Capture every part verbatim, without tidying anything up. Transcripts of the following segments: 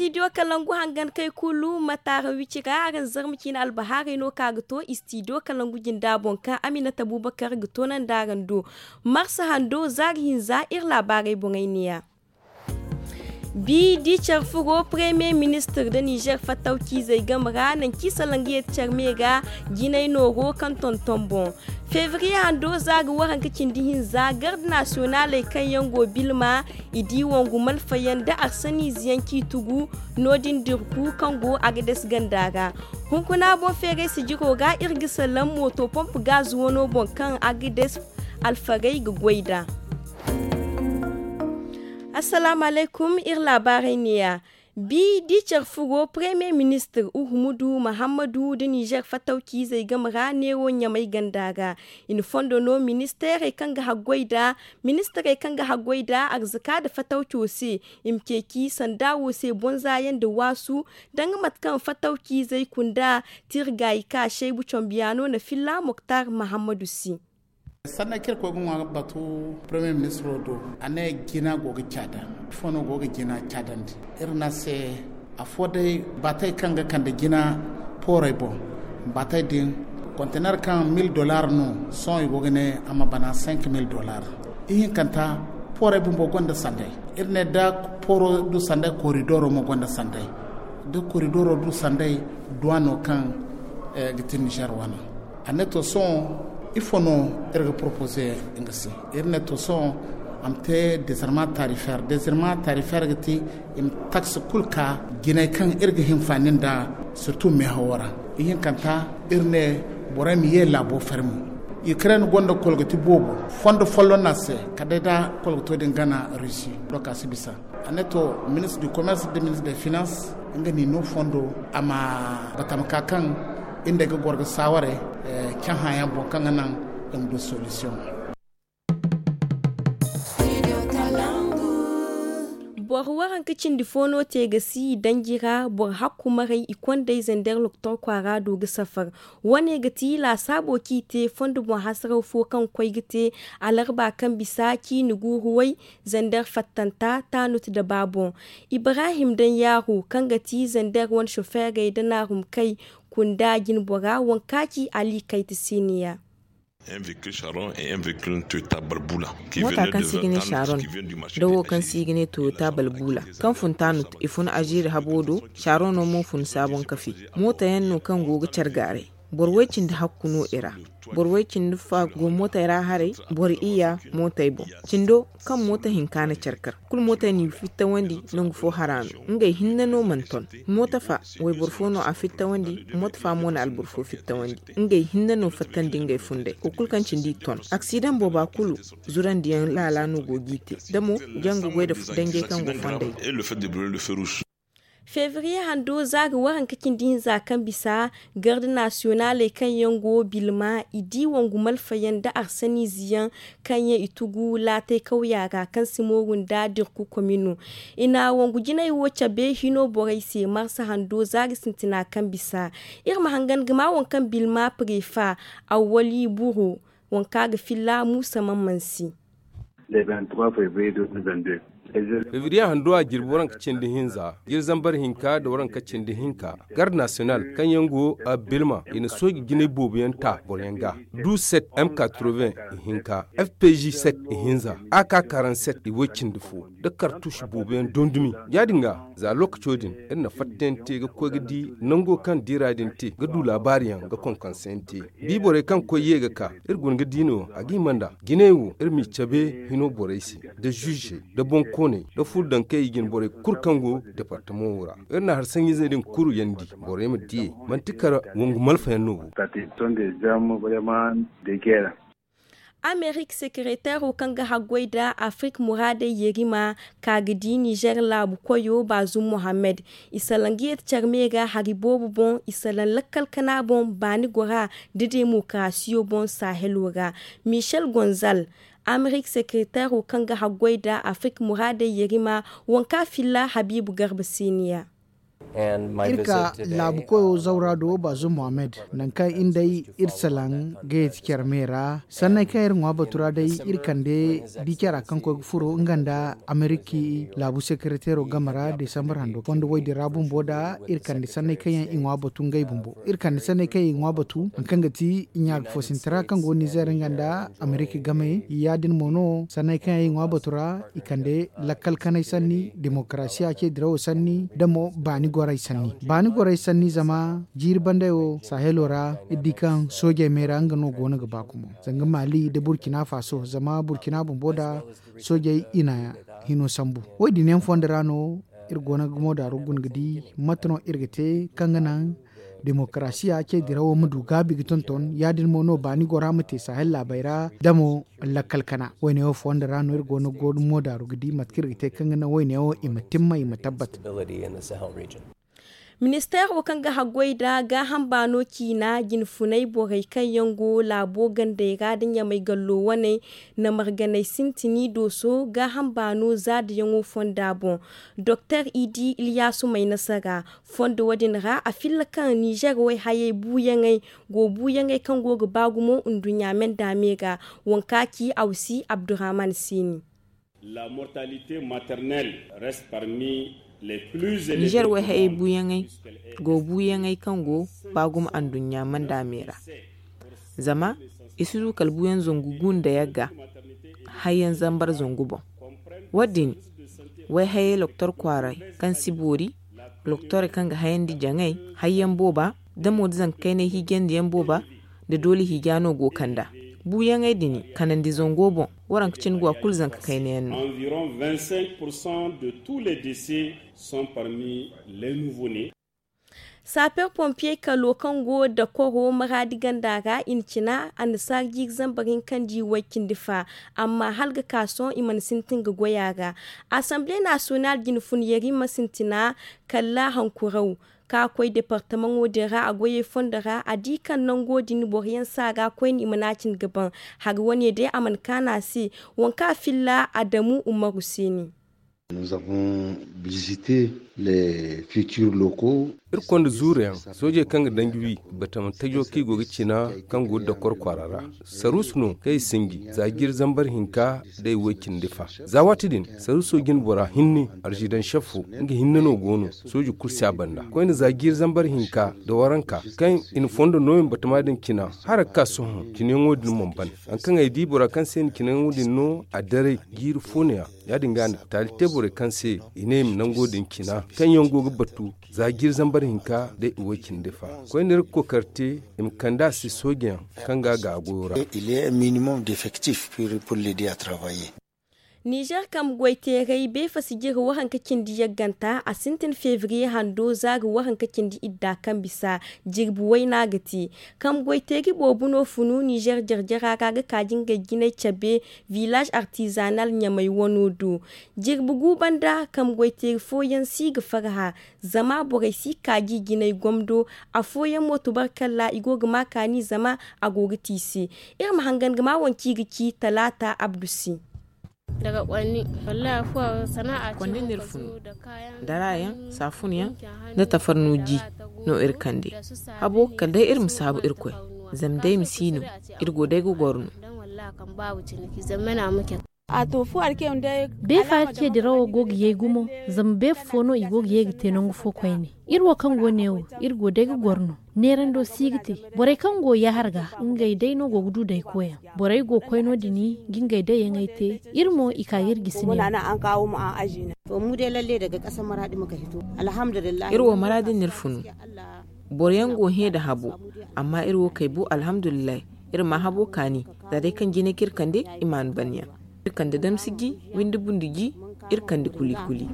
Istidiyo kalangu hangan kay kulu ma taara wici ra araŋ zarma ciine albahaarey no kaŋ a ga to istidiyo kalangu jinda boŋ kaŋ aminata abubakar ga toonandi araŋ do. Marsa hando zaari hinza iri laabaarey boŋey neeya. Bi di care furo premier ministir nda nizer fattawciizey game ra nangu kaŋ i salaŋ ga yeeti care me ga jinay nooro kaŋ tonton boŋ. Febriye hando zaari waranka cindi hinza garde nasiyonaaley kaŋ yaŋ go bilma i di wangu malfayaŋ nda arsaniize yaŋ kaŋ i tugu no- din dirku kaŋ go agades ganda ra. Hunkuna boŋ feeray sijiro ra iri ga salaŋ mooto pomp gaz wano boŋ kaŋ agades alfarey ga goy nd'a. Assalaamu alaykum, iri laabaarey neeya. Bi di care furo premier ministir uhumudu mahammadu nda nizer fattawciizey game ra neewo ɲamay ganda ra. I na fondo no ministeerey kaŋ ga haggoy nd'a ministirey kaŋ ga haggoy nd'a arzaka nda fattawco se. I ma ceeci sanda wo se bonza yaŋ nda waasu danga mate kaŋ fattawciizey kunda tirgaayi ka seebu combiyaano na filla moktar mahammadu se. Sanday kaŋ iri koy ga ŋwa ga batu premier ministro do, a ne jina go ga caada. Ifo no go ga jina caadandi? Iri ne a se afo day baatey kaŋ ga kande jina poorey boŋ. Baatey din kontener kaŋ mil dollar no, sohõ i go ga ne a ma bana cinq mil dollar. Ihinkanta poorey bumbo gonda sanday. Iri ne da pooro du sanday koridoro mo gonda sanday. Da koridoro du sanday duwano kaŋ ga ti nizer wane. A ne to sohõ ifo no iri ga poropoze nga se? Iri ne to sohõ a ma te dezarma tarifeer dezarma tarifeer ga ti i ma taksi kulu ka jinay kaŋ iri ga hinfaani nda sirtu meehawo ra. Ihinkanta iri ne borey ma ye laabo fermi. Ukraine gonda kolgati boobo fondo folloŋ no a se kala day da kolgato din gana rusi. Doka si bisa. A ne to ministre du commerce nda ministre de finance nga n'i no fondo a ma batama ka kaŋ iri nd'ey ga goro ga saaware cahã yaŋ boŋ kaŋ ga naŋ i ma du solution. Boro waranka cindi fo no te ga si danji ra boro hakku maray i kondey zander loktor kwaara do ga safar. Wane ga ti laasaabo kaŋ i te fondo boŋ hasaraw fo kaŋ ga koy ga te alarba kaŋ bisa ciini guuru way zander fattanta taanut da ba boŋ. Ibrahim daŋ yaaro kaŋ ga ti zander wane sofeerey da naarumkay kunda jinbora waŋ ka ci ali kayta se ne ya. Moota kaŋ se i ga ne sharon da wo kaŋ se i ga ne toyota balbula kaŋ fun taanut i fun azeeri habo do. Sharon no mo fun saaboŋ kafe moota yaŋ no kaŋ go ga care gaaray. Boro way cindi hakku no i ra. Boro way cindi fa go mootey ra haray. Boro iyya mootey boŋ cindo kaŋ moota hinka na care kar kulu mootey n'i fittawandi. Nangu fo hara no ngey hinne no mana ton. Moota fa wayboro fo no a fittawandi. Moota fa mo na alboro fo fittawandi. Ngey hinne no fattandi ngey funday wo kulu kaŋ cindi i ton aksidaŋ booba kulu. Zurandiyaŋ laala no go g'i te da mo janga goy da danjey kaŋ go fondey. Febriye hando za ga waranka cindi hinza kaŋ bisa garde nasiyonaaley kaŋ yaŋ go bilma i di wangu malfayaŋ nda arsaniize yaŋ kaŋ yaŋ i tugu laatay kawya ra kaŋ si mooru nda dirku komino. I na wangu jinay wo cabe hino borey se marsa hando zaari sintina kaŋ bisa. Iri ma hangan ga ma waŋ kaŋ bilma prefa awwali buro waŋ kaŋ a ga filla muusa man mansi. Febriye hando a jirbi waranka cindi hinza jiri zambar hinka nda waranka cindi hinka garde nasiyonal kaŋ yaŋ go a bilma i na sooji jinay boobo yaŋ ta boro yaŋ ga. Du set m quatre-vingts i hinka fpg set i hinza ak quarante-sept i way cindi fo da kartush boobo yaŋ dondumi. Ya- din ga za lookaco din iri na fattayaŋ te ga koy ga di nango kaŋ diira din te ga du laabaari yaŋ ga konkonse yaŋ te. Bi borey kaŋ koy ye ga ka iri guna ga di no a ga hima nda jinay wo iri m'i cabe hino borey se da zuuzey da boŋkooney da furo daŋ kaŋ i jine borey kulu kaŋ go departamo wo ra. Iri na hari saŋ-izey din kulu yandi borey ma diyey manti kala wangu malfayaŋ no bo. Amerik sekereteero kaŋ ga haggoy nda afrik muraadey yerima ka ga di nizer laabu koyo baazum mohammed. I salaŋ ga yeeti care me ga hari boobo boŋ i salaŋ lakkal kana boŋ baani gora nda demokarasiyo boŋ sahelo ra. Michel gonzal, amerik sekereteero kaŋ ga haggoy nda afrik muraadey yerima, waŋ kaŋ a filla habiibu garba se ne ya. Iri ka laabu koyo zawra do, baazum mohammed, nangu kaŋ iri day iri salaŋ ga yeti care me ra. Sanney kaŋ iri ŋwa batu ra day, iri kande di cara kaŋ koy ga furo nga nda ameriki laabu sekereteero game ra desambar hando fondo woy din ra bumbo da iri kande sanney kaŋ yaŋ i ŋwa batu ngey bumbo. Iri kande sanney kaŋ yaŋ i ŋwa batu, hari kaŋ ga ti i ɲaari foosintara kaŋ go nizer nga nda ameriki game. Ya- din mo no sanney kaŋ yaŋ i ŋwa batu ra, i kande lakkal kanay sanni, demokarasiya ce dirawo sanni, da mo baani gorey sanni. Baani gorey sanni zama jiiri banday wo sahelo ra, iri di kaŋ soojey me ra nga no go no ga ba gumo, zanga mali nda burkina faso, zama burkina bumbo nda soojey i na hino sambu. Wo- din yaŋ fondo ra no iri go no ga moodaaru guna ga di mate no iri ga te kaŋ ga naŋ demokarasiya ce dirawo ma du gaabi ga tonton. Ya- din mo no baani gora ma te sahel laabey ra, da mo lakkal kana. Wo- ne wo fondo ra no iri go no ga moodaaru ga di mate kaŋ iri ga te kaŋ ga naŋ wo- ne wo i ma timma, i ma tabbat. Ministeero kaŋ ga haggoy nda gaaham baano ciina, jinfunay borey kaŋ yaŋ go laabo gandey ra nda ɲamay gallo waney, na marganey sintini dooso gaaham baano zaadayaŋo fonda boŋ. Doktor idi iliyaasu may nasara fondo wo- din ra a filla kaŋ nizer wayhayey buuyaŋey go buuyaŋey kaŋ go ga ba gumo nduɲɲa me nda me ga. Waŋ ka ci awsi abdurrahman siini. Nizer wayhayey buuyaŋey go buuyaŋey kaŋ go ba gumo anduɲɲa manda me ra. Zama i si du kala buuyaŋ zangu gu nda yagga hayyaŋ zambar zangu boŋ. Wo- din wayhayey loktor kwaaray kaŋ si boori, loktorey kaŋ ga hayandi jaŋay hayyaŋ booba, da mo da zanka kaynay hiijandiyaŋ booba, da doole hiija no go kanda buuyaŋey din kanandi zango boŋ. Waranka cine go a kulu zanka kayna yaŋ no. Saper pompier kalo kaŋ go dakoro maraadi ganda ra i na cina a na saari jiiri zambar hinka nda i way cindi fa. Amma hala ga ka sohõ i mana sintin ga goy a ra. Asamble nasiyonal jine fun yeri ma sintina kala hankuraw ka koy departamaŋo din ra a goyey fondo ra a di kaŋ nango din boro yaŋ si a ga koyne i mana cin ga ban. Hari wane day a mana kaanu a se. Waŋ kaŋ a filla adamu umaru se ne. Iri konda zuuru yaŋ soojey kaŋ ga danji wi batama tajo kaŋ i go ga cina kaŋ go ga dokor kwaara ra. Saruusu no kaŋ i sinji za jiiri zambar hinka da i way cindi fa. Za waati din saruuso jine bora hinne arzidansef fo nga hinne no go no sooji kulu si a banda koyne za jiiri zambar hinka da waranka kaŋ i na fondo nooyaŋ batama din cina hala ga ka sohõ. Cinayaŋo din mana ban hari kaŋ ay di bora kaŋ se i na cinayaŋo din no a daray jiiri fo no- ya ya- din ga a na taali te borey kaŋ se i ne i ma nango din cina kaŋ yaŋ go ga batu za jiiri zambar hinka da i way cindi fa. Koyne iri ga kookari te i ma kande a se soojayaŋ kaŋ ga a ga a goyo ra. Nizer kambe goyteeray beefasi jire waranka cindi yagganta a sintin febriye hando za ga waranka cindi idda kaŋ bisa. Jirbi wayna ga te kambe goyteeri boobo no funu nizer jarjara ra ga kaaji ngey jinay cabe. Village artisanal ɲamay wano do jirbi gu banda kambe goyteeri fooyaŋ si ga farhã. Zama borey si kaaji jinay gomdo afooyaŋ mo tubarkalla i go ga ma kaani zama a go ga te i se. Iri ma hangan ga ma waŋ kaŋ i ga ci talaata abdu se. Konni no iri funu dara yaŋ saafunyaŋ nda tafarnu ji no iri kande. Habo kala day iri ma saabu irkoy zama day ma si no iri go day ga goro no. Beefa ce dirawo go ga yay gumo zama beefa fo no i go ga ye ga te nangu fo koyne. Iri wo kaŋ go neewo iri go day ga goro no. Neerando si ga te borey kaŋ go yaahar ga ngey day no go ga du day koyaŋ. Borey go koy no- din ga ngey dayyaŋey te. Iri mo i ka ga iri gisi neewo. Iri wo maraadi no iri funu. Boro yaŋ go hẽ nda habo amma iri wo kay bu alhamdulillahi. Iri ma habo kaani za day kaŋ jinay kaŋ iri kande i ma a ni ban yaŋ. Iri kande damsi ji windi bundi ji. Iri kande kuli kuli.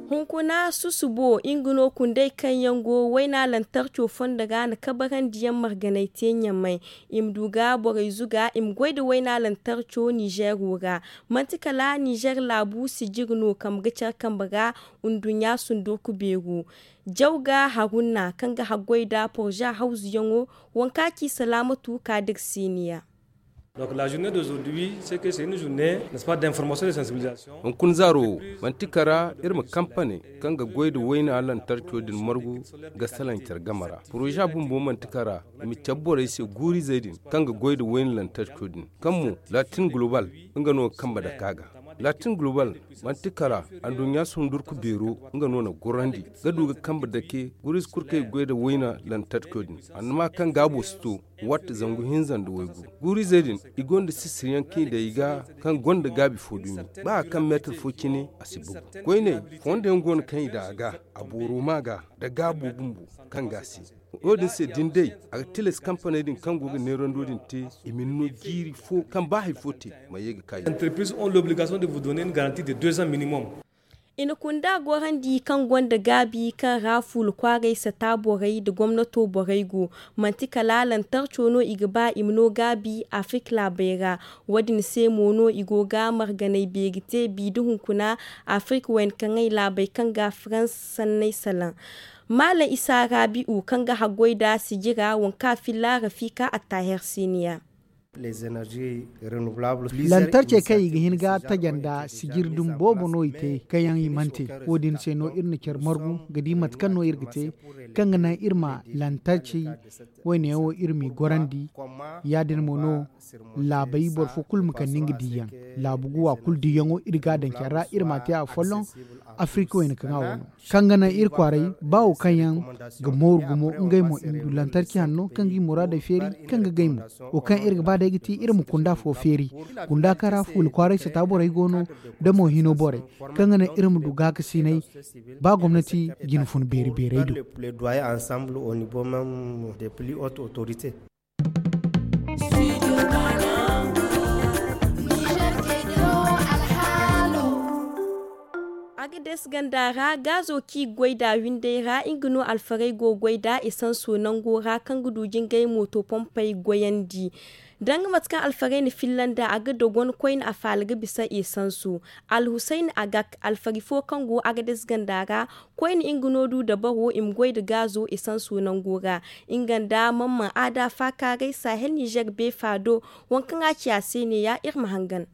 Hunkuna susubo nga no kundey kaŋ yaŋ go wayna lantarco fondo ga na kabarandi yaŋ marganay te ɲamay. I ma du ga borey zuga i ma goy nda wayna lantarco nizeero ra. Manti kala nizeer laabu sijir no kambe ga care kambe ra. Nduɲɲa sundurku beero jaw ga harunna kaŋ ga haggoy nda porza hawzuyaŋo. Waŋ kaŋ a ci salaamatu kaadir siiniya. Donc la journée d'aujourd'hui, c'est que c'est une journée, n'est-ce pas, d'information et de sensibilisation. Hunkuna zaaro wo, manti kara iri ma kampane kaŋ ga goy nda wayna lantarco din margu ga salaŋ care game ra. Poroza bumbo manti kara i ma cabe borey se guurizey din kaŋ ga goy nda wayna lantarco din, kaŋ mo latin global nga no ga kambe dake a ga. Latin global manti kara, anduɲɲa sundurku beero nga no na gorandi ga du ga kambe dake guurizey kulu kaŋ i ga goy nda wayna lantarco din. Annama kaŋ gaabo si to, watte zangu hinza nda waygu. Guurizey din, i gonda sisiriyaŋ kaŋ i daŋ i ga, kaŋ gonda gaabi fo dumi. Ba a kaŋ meetar fo cine, a si bugu. Koyne, fondo yaŋ go no kaŋ i daŋ a ga, a booro ma ga, nda gaabo bumbo kaŋ ga a se. Wo-din se da ni day, a ga tilas kampaney din kaŋ go ga neerando din te, i ma ni no jiiri fo kaŋ ba hari fo te, ma ye ga ka i. Entreprises ont l'obligation de vous donner une garantie de deux ans minimum. I na kunda gorandi kaŋ gonda gaabi kaŋ ra fuula kwaaray sata borey nda gomnato borey go. Manti kala lantarco no i ga ba i ma no gaabi Afirka laabey ra. Wo-din se mo no i go ga marganay beeri te bi nda hunkuna Afirka wayna kaŋay laabey kaŋ ga Farans sanney salaŋ. Maalaŋ Isa Raabi'u kaŋ ga haggoy nda sijira, waŋ kaŋ a filla Rafiika Attaher Siniya. Lantarcey kaŋ i ga hin ga taja nda sijiri dumi boobo no i te kaŋ yaŋ i mana te. Wo-din se no iri na care margu ga di mate kaŋ no iri ga te kaŋ ga naŋ iri ma lantarcey wayne yaŋ wo iri m'i gorandi. Ya-din mo no laabey boro fo kulu ma kande nga diyaŋ. Laabu guwa kulu diyaŋo iri ga a daŋ care ra iri m'a te afolloŋ. Afirka wayna kaŋ a wano kaŋ ga naŋ iri kwaaray ba wo kaŋ yaŋ ga mooru gumo ngey mo i ma du lantarki hanno kaŋ ga i muraadey feeri kaŋ ga gay mo. Wo kaŋ iri ga ba day ga ti iri ma kunda fo feeri kunda kaŋ ra fuula kwaaray sata borey go no da mo hino borey kaŋ ga naŋ iri ma du gaakasinay ba gomnati jine fun beeri beerey do. Agades ganda ra gaazo kaŋ i ga goy nd'a windey ra nga no alfarey go ga goy nd'a esanso nango ra kaŋ ga du jingay mooto pompey goyandi. Danga mate kaŋ alfarey na filla nd'a a ga dogon koyne a faala ga bisa esanso. Alhusayni agak alfari fo kaŋ go agades ganda ra koyne nga no du dabaro i ma goy nda gaazo esanso nango ra. Nga nda mamman aada faakaaray sahel nizer beefa do waŋ kaŋ a ci a se neeya iri ma hangan.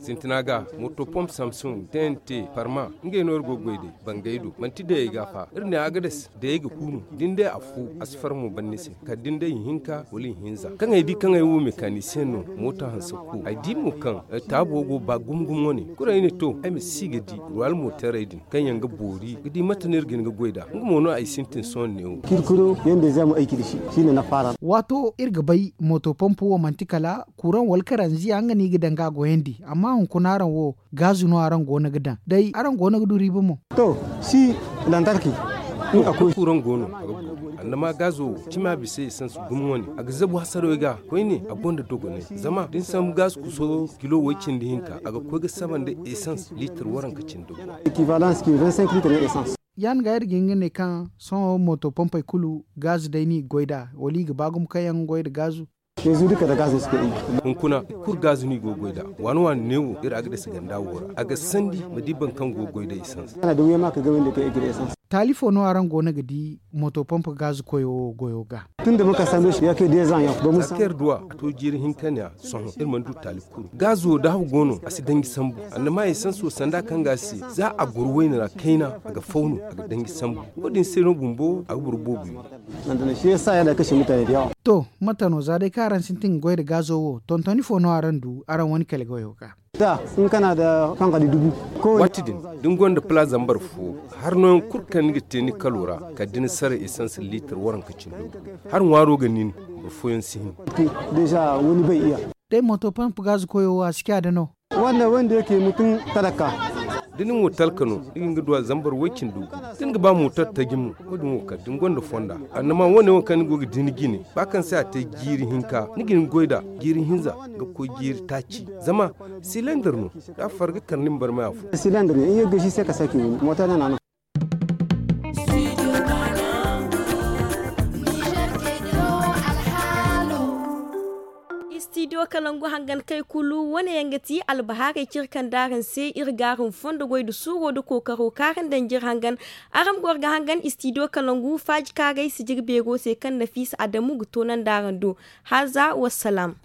Sintina ga moto pomp samsung tnt parma ngey no iri go ga goy day bangay do manti day ay ga fa iri ne agades day ay ga kuunu da ni day afo a si far mo ban ni se kala da ni day ihinka wala ihinza kaŋ ay di kaŋ ay wo mekanisiyeŋ no mooto hanse ku ay di mo kaŋ taabo go ba gumo gumo wane kulu ay ne to ay ma si ga di ruwal mootaray din kaŋ yaŋ ga boori ga di mate no iri ga hin ga goy nd'a nga mo no ay sintin sohõ neewo. Waato iri ga bay mooto pompo wo manti kala kuraŋ wala karanziya nga no i ga daŋ ga a goyandi amma hunkuna araŋ wo gaazu no araŋ go no ga daŋ day araŋ go no ga du riiba mo. To si lantarki. Kuraŋ go no a ga boori annama gaazo wo cima bisa esans gumo wane a ga zabu hasarey ga koyne a gonda dogonay zama da ni sambu gaazu kuso kilo way cindi hinka a ga koy ga saba nda esans liitar waranka cindi go. Ekivalans ki vingt cinq liitar na esans. Ya- din ga iri ga hin ga ne kaŋ sohõ mooto pompey kulu gaazu day no i ga goy nd'a wala i ga ba gumo kaŋ yaŋ ga goy nda gaazu. Hunkuna iri kulu gaazu no i go ga goy nd'a waani waani neewo iri agades ganda wo ra a ga sandi ma di boro kaŋ go ga goy nda esans. Taali fo no araŋ go no ga di mooto pompe gaazu koyo wo goyo ga? Za kaŋ iri duw'a a to jiiri hinka ne a sohõ iri mana du taali kulu gaazo da haw go no a si danji sambu. Annama esans wo sanda kaŋ ga a se za a goro wayne ra kayna a ga faw no a ga danji sambu. Wo- din se no bumbo a ga boro boobo wi. To mate no za day kaŋ araŋ sintin ga goy nda gaazo wo tontoni fo no araŋ du araŋ wane kala goyo ga? Waati din da ni gonda pala zambar fo hari nooyaŋ kulu kaŋ ni ga te ni kalo ra kala da ni sara esans liitar waranka cindo ga hari ŋwaaro ga nin boro fooyaŋ si hin. Day mooto pompe gaazu koyo wo a si ciya da no? Da ni mo talka no ni ga hin ga duw'a zambar way cindi gu da ni ga ba mooto taji mo wo- din wo kala da ni gonda fonda annama wo- ne wo kaŋ ni go ga di ni jine ba kaŋ se a te jiiri hinka ni ga hin ga goy nd'a jiiri hinza ga koy jiiri taaci. Zama silendar no da a far ga kar ni ma barmay afo. Studio Kalangu hangan kay kulu wane yaŋ ga ti albahaarey cire kaŋ daaraŋ se iri ga araŋ fondo goy nda suuro nda kookaro kaaraŋ danjir hangan. Araŋ ma goro ga hangan istidiyo kalangu faaji kaarey sijiri beero se kaŋ nafiisa adamu ga toonandi araŋ do. Haaza wassalaam.